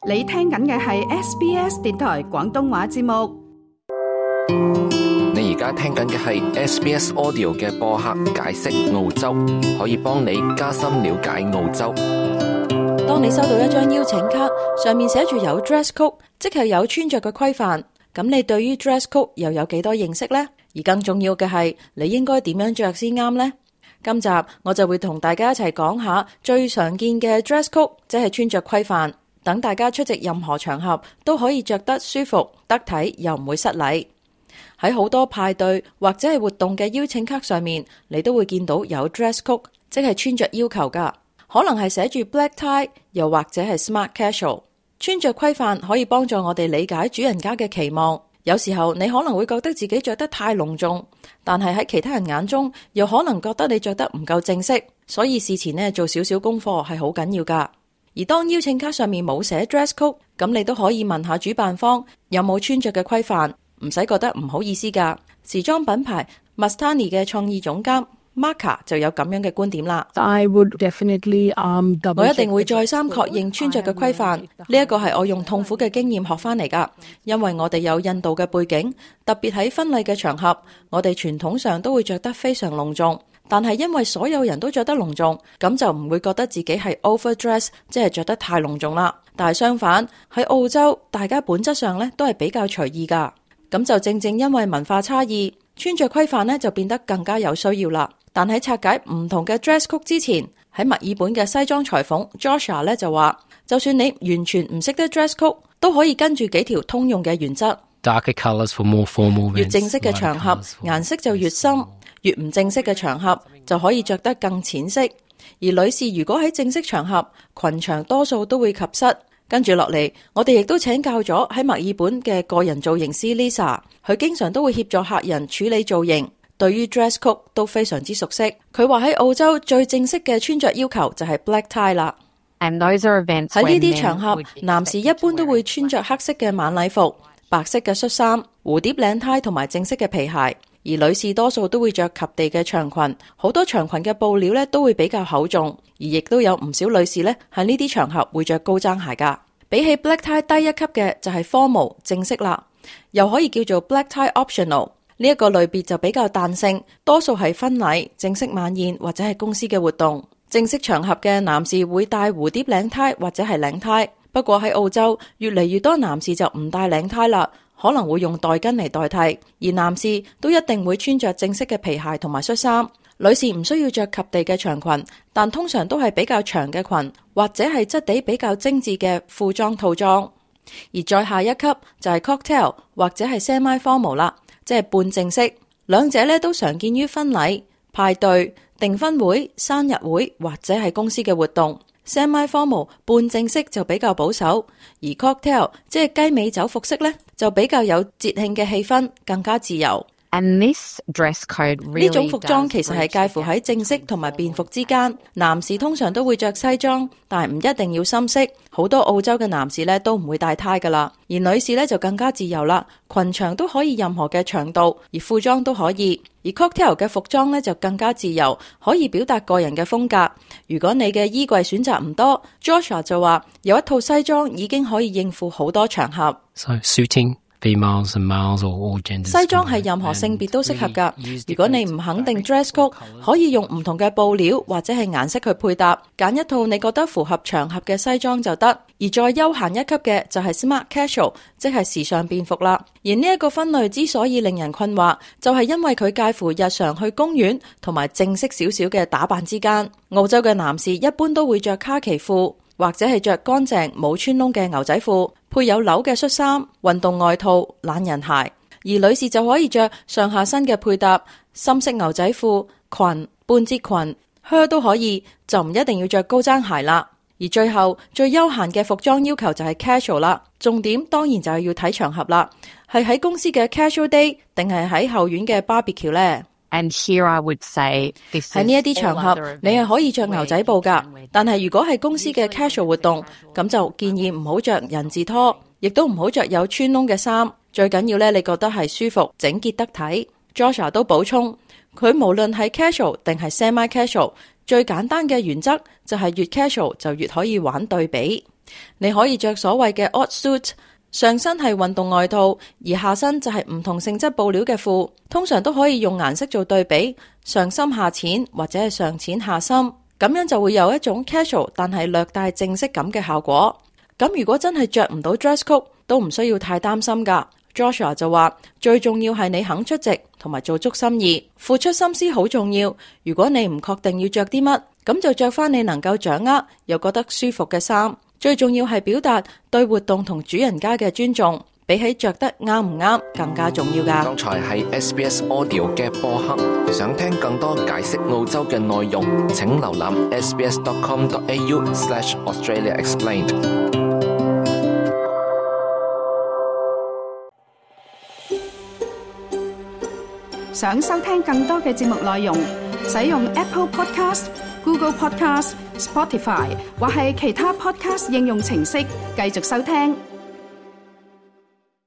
你聽緊嘅係 SBS 電台廣東話節目。你而家聽緊嘅係 SBS Audio 嘅播客解釋澳洲，可以幫你加深了解澳洲。當你收到一張邀請卡，上面寫住有 dress code， 即係有穿着嘅規範，咁你對於 dress code 又有幾多認識呢？而更重要嘅係，你應該點樣着先啱呢？今集我就會同大家一齊講下最常見嘅 dress code， 即係穿着規範，等大家出席任何場合都可以着得舒服、得體又唔會失禮。喺好多派對或者係活動嘅邀請卡上面，你都會見到有 dress code， 即係穿着要求噶，可能係寫住 black tie， 又或者係 smart casual。穿着規範可以幫助我哋理解主人家嘅期望。有時候你可能會覺得自己着得太隆重，但係喺其他人眼中又可能覺得你着得唔夠正式，所以事前呢做少少功課係好緊要噶。而當邀請卡上面冇寫 dress code， 咁你都可以問下主辦方有冇穿着嘅規範，唔使覺得唔好意思噶。時裝品牌 Mastani 嘅創意總監Marka 就有咁樣嘅觀點啦。I would definitely, 我一定會再三確認穿着嘅規範，呢一個係我用痛苦嘅經驗學翻嚟噶。因為我哋有印度嘅背景，特別喺婚禮嘅場合，我哋傳統上都會着得非常隆重。但係因為所有人都着得隆重，咁就唔會覺得自己係 overdress， 即係着得太隆重啦。但係相反，喺澳洲，大家本質上呢都係比較隨意噶。咁就正正因為文化差異，穿着規範呢就變得更加有需要啦。但喺拆解唔同嘅 dress code 之前，喺墨爾本嘅西裝裁縫 Joshua 咧就話，就算你完全唔識得 dress code， 都可以跟住幾條通用嘅原則。Darker colours for more formal events， 越正式嘅場合，顏色就越深；越唔正式嘅場合，就可以着得更淺色。而女士如果喺正式場合，裙長多數都會及膝。跟住落嚟，我哋亦都請教咗喺墨爾本嘅個人造型師 Lisa， 佢經常都會協助客人處理造型。對於 dress code 都非常之熟悉。佢話喺澳洲最正式嘅穿着要求就係 black tie 啦。喺呢啲場合，男士一般都會穿着黑色嘅晚禮服、白色嘅恤衫、蝴蝶領呔同埋正式嘅皮鞋。而女士多數都會着及地嘅長裙，好多長裙嘅布料咧都會比較厚重，而亦都有唔少女士咧喺呢啲場合會着高踭鞋噶。比起 black tie 低一級嘅就係 formal 正式啦，又可以叫做 black tie optional。呢一個類別就比較彈性，多數係婚禮、正式晚宴或者係公司嘅活動。正式場合嘅男士會戴蝴蝶領呔或者係領呔，不過喺澳洲越嚟越多男士就唔戴領呔啦，可能會用袋巾嚟代替。而男士都一定會穿着正式嘅皮鞋同埋恤衫。女士唔需要着及地嘅長裙，但通常都係比較長嘅裙，或者係質地比較精緻嘅褲裝套裝。而再下一級就係 cocktail 或者係 semi-formal 啦，即係半正式，兩者咧都常見於婚禮、派對、訂婚會、生日會或者係公司嘅活動。Semi-formal 半正式就比較保守，而 cocktail 即係雞尾酒服飾咧就比較有節慶嘅氣氛，更加自由。呢種服裝其實係介乎喺正式同埋便服之間。男士通常都會着西裝，但係唔一定要深色。好多澳洲嘅男士咧都唔會戴呔噶啦，而女士咧就更加自由啦。裙長都可以任何嘅長度，而褲裝都可以。而 cocktail 嘅服裝咧就更加自由，可以表達個人嘅風格。如果你嘅衣櫃選擇唔多 ，Joshua 就話有一套西裝已經可以應付好多場合。So suiting females and males or all genders。西裝係任何性別都適合㗎。如果你唔肯定 dress code， 可以用唔同嘅布料或者係顏色去配搭，揀一套你覺得符合場合嘅西裝就得。而再休閒一級嘅就係 smart casual， 即係時尚便服啦。而呢一個分類之所以令人困惑，就係因為佢介乎日常去公園同埋正式少少嘅打扮之間。澳洲嘅男士一般都會着卡其褲，或者係着乾淨冇穿窿嘅牛仔褲，配有紐嘅恤衫、運動外套、懶人鞋。而女士就可以着上下身嘅配搭，深色牛仔褲、裙、半截裙、靴都可以，就唔一定要着高踭鞋啦。而最後最休閒嘅服裝要求就係 casual 啦，重點當然就係要睇場合啦，係喺公司嘅 casual day 定係喺後院嘅 barbecue 呢？ And here I would say 喺呢一啲場合，你係可以着牛仔布噶，但係如果係公司嘅 casual 活動，咁就建議唔好着人字拖，亦都唔好着有穿窿嘅衫。最緊要咧，你覺得係舒服、整潔得體。Joshua 都補充，佢無論係 casual 定係 semi casual，最簡單嘅原則就係越 casual 就越可以玩對比。你可以着所謂嘅 odd suit， 上身係運動外套，而下身就係唔同性質布料嘅褲，通常都可以用顏色做對比，上深下淺或者係上淺下深，咁樣就會有一種 casual 但係略帶正式感嘅效果。咁如果真係着唔到 dress code，都唔需要太擔心㗎。Joshua 就話最重要係你肯出席同埋做足心意，付出心思好重要。如果你唔確定要着啲乜，咁就着翻你能夠掌握又覺得舒服嘅衫。最重要係表達對活動同主人家嘅尊重，比起着得啱唔啱更加重要㗎。剛才係 SBS Audio 嘅播客，想聽更多解釋澳洲嘅內容，請瀏覽 sbs.com.au/AustraliaExplained。想收聽更多嘅節目內容，使用 Apple Podcast、Google Podcast、Spotify 或係其他 Podcast 應用程式繼續收聽。